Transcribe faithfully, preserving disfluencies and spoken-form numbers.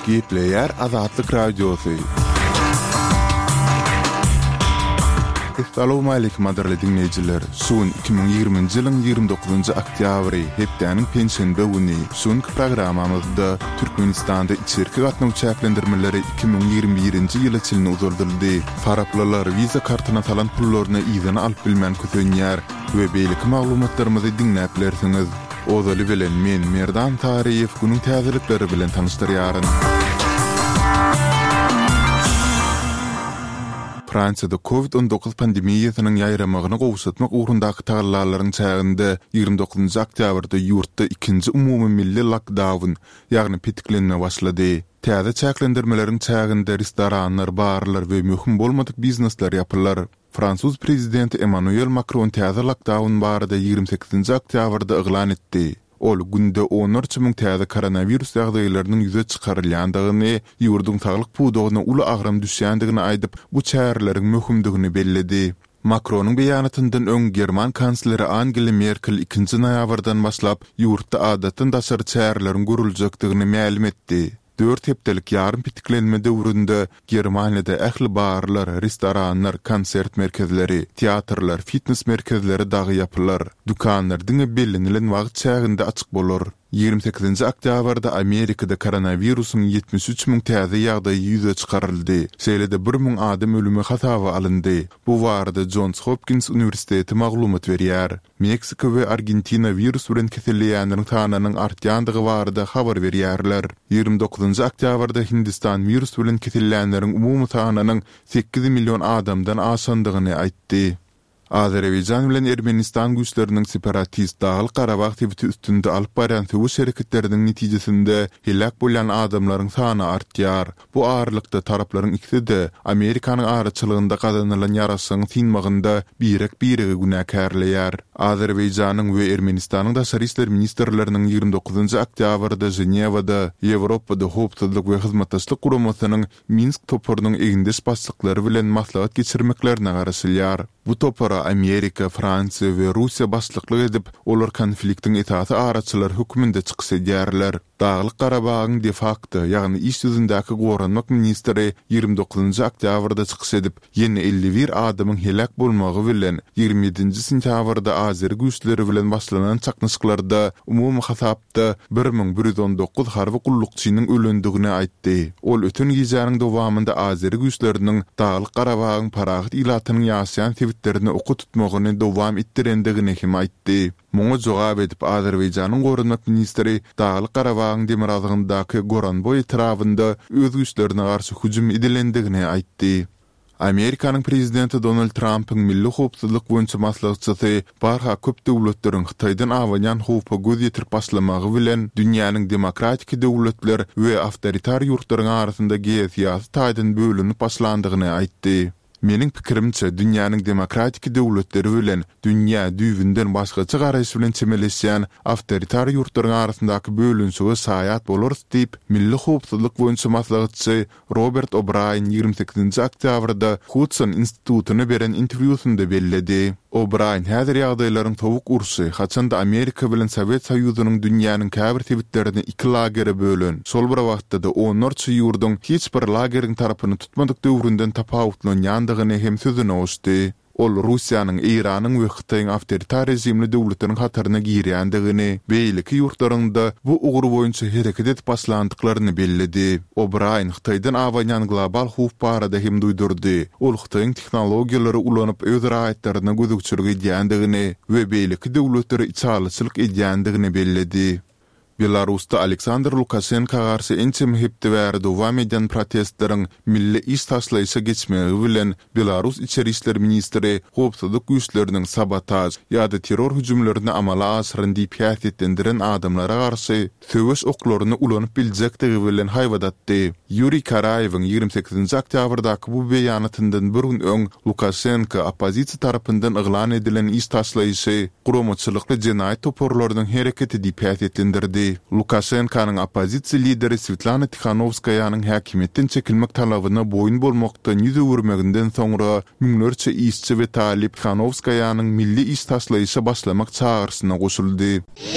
Gepleýär Azatlyk Radiosy. Essalawmaleýkim gadyrly diňleýjiler! Şu gün iki müň ýigriminji ýylyň ýigrimi dokuzynjy oktýabry, hepdäniň penşenbe güni. Şu günki programmamyzda Türkmenistanda içerki gatnaw çäklendirmeleri iki müň ýigrimi birinji ýyla çenli uzaldyldy. Faraplylar Visa kartyna salan pullaryny yzyna alyp bilmän kösenýär we beýleki maglumatlarymyzy diňläp bilersiňiz. Ozaly bilen men, Merdan Taryýew, günüň täzelikleri bilen tanyşdyrýaryn. Fransiýada Covid on dokuz pandemiýasynyň ýaýramagyny gowşatmak ugrundaky tagallalaryň çäginde ýigrimi dokuzynjy oktýabrda ýurtda ikinji umumy milli lokdaun, ýagny petiklenme başlady. Täze çäklendirmeleriň çäginde restoranlar, barlar we möhüm bolmadyk biznesler ýapylar. Fransuz prezidenti Emmanuel Makron täze lokdaun barada ýigrimi sekizinji oktýabrda yglan etdi. Ol günde onlarça müň täze koronawirus ýagdaýlarynyň ýüze çykarylýandygyny, ýurduň saglyk pudagyna uly agram düşýändigini aýdyp, bu çäreleriň möhümdigini belledi. Makronyň beýanatyndan öň german kansleri Angela Merkel ikinji noýabrdan başlap ýurtda adatdan daşary çäreleriň görüljekdigini mälim etdi. Dört hepdelik ýarym petiklenme döwründe Germaniýada ähli barlar, restoranlar, konsert merkezleri, teatrlar, fitnes merkezleri dagy ýapylar. Dükanlar diňe bellenilen wagt çäginde açyk bolar. Ýigrimi sekizinji oktýabrda Amerikada koronawirusyň ýetmiş üç müň täze ýagdaýy ýüze çykaryldy, şeýle-de bir müň adam ölümi hasaba alyndy. Bu barada Jons Hopkins uniwersiteti maglumat berýär. Meksika we Argentina wirus bilen keselleýänleriň sanynyň artýandygy barada habar berýärler. Ýigrimi dokuzynjy oktýabrda Hindistan wirus bilen kesellänleriň umumy sanynyň sekiz million adamdan aşandygyny aýtdy. Azerbaýjan bilen Ermenistan güýçleriniň separatist Daglyk-Garabag sebiti üstünde alyp barýan söweş hereketleriniň netijesinde heläk bolýan adamlaryň sany artýar. Bu aralykda taraplaryň ikisi-de Amerikanyň araçylygynda gazanylan ýaraşygyň synmagynda birek-biregi günäkärleýär. Azerbaýjanyň we Ermenistanyň daşary işler ministrleriniň ýigrimi dokuzynjy oktýabrda Ženewada Ýewropada Howpsuzlyk we Hyzmatdaşlyk Guramasynyň Minsk toparynyň egindeş başlyklary bilen maslahat geçirmeklerine garaşylýar. Bu topara Amerika, Fransiýa we Russiýa başlyklyk edip, olar konfliktiň esasy araçylary hökmünde çykyş edýärler. Daglyk-Garabagyň de-fakto, ýagny iş ýüzündäki goranmak ministri ýigrimi dokuzynjy oktýabrda çykyş edip, ýene elli bir adamyň heläk bolmagy bilen ýigrimi ýedinji sentýabrda azeri güýçleri bilen başlanan çaknyşyklarda umumy hasapda bir müň bir ýüz on dokuz harby gullukçynyň ölendigini aýtdy. Ol öten gijäniň dowamynda azeri güýçleriniň Daglyk-Garabagyň parahat ilatynyň ýaşaýan sebitlerine oka tutmagyny dowam etdirendigini hem aýtdy. Muňa jogap edip, Azerbaýjanyň goranmak ministri Daglyk-Garabagyň demirgazygyndaky Goranboý etrabynda öz güýçlerine garşy hüjüm edilendigini aýtdy. Amerikanyň prezidenti Donald Trampyň milli howpsuzlyk boýunça maslahatçysy barha köp döwletleriň Hytaýdan abanýan howpa göz ýetirip başlamagy bilen dünýäniň demokratiki döwletler we awtoritar ýurtlaryň arasynda geosyýasy taýdan bölünip başlandygyny aýtdy. Meniň pikirimçe, dünýäniň demokratiki döwletleri bilen dünýä düýbünden başgaça garaýyş bilen çemeleşýän awtoritar ýurtlaryň arasyndaky bölünişige şaýat bolarys diýip, milli howpsuzlyk boýunça maslahatçy Robert O'Braýen ýigrimi sekizinji oktýabrda Hudson institutyna beren interwýusynda belledi. O'Braýen häzir ýagdaýlaryň sowuk urşy, haçanda Amerika bilen Sowet Soýuzynyň dünýäniň käbir sebitlerini iki lagere bölen, şol bir wagtda-da onlarça ýurduň hiç bir lageriň tarapyny tutmadyk döwründen tapawutlanýandygyny hem sözüne goşdy. Ol Russiýanyň, Eýranyň we Hytaýyň awtoritar režimli döwletleriň hataryna girýändigini, beýleki ýurtlaryň-da bu ugur boýunça hereket edip başlandyklaryny belledi. O'Braýen Hytaýdan abanýan global howp barada hem duýdurdy. Ol Hytaýyň tehnologiýalary ulanyp öz raýatlaryna gözegçilik edýändigini we beýleki döwletlere içalyçylyk edýändigini belledi. Belarusda Aleksandr Lukaşenka garşy ençeme hepde bäri dowam edýän protestleriň milli iş taşlaýyşa geçmegi bilen Belarus içeri işler ministri howpsuzlyk güýçleriniň sabotaž ýa-da terror hüjümlerini amala aşyran diýip häsiýetlendiren adamlara garşy söweş oklaryny ulanyp biljekdigi bilen haýbat atdy. Ýuriý Karaýewiň ýigrimi sekizinji oktýabrdaky bu beýanatyndan bir gün öň Lukaşenko oppozisiýa tarapyndan yglan edilen iş taşlaýyşy guramaçylykly jenaýat toparlarynyň hereketi diýip häsiýetlendirdi. Lukaşenkonyň oppozisiýa lideri Swetlana Tihanowskaýanyň häkimiýetden çekilmek talabyna boýun bolmakdan ýüz öwürmeginden soňra müňlerçe işçi we talyp Tihanowskaýanyň milli iş taşlaýyşa başlamak çagyryşyna goşuldy.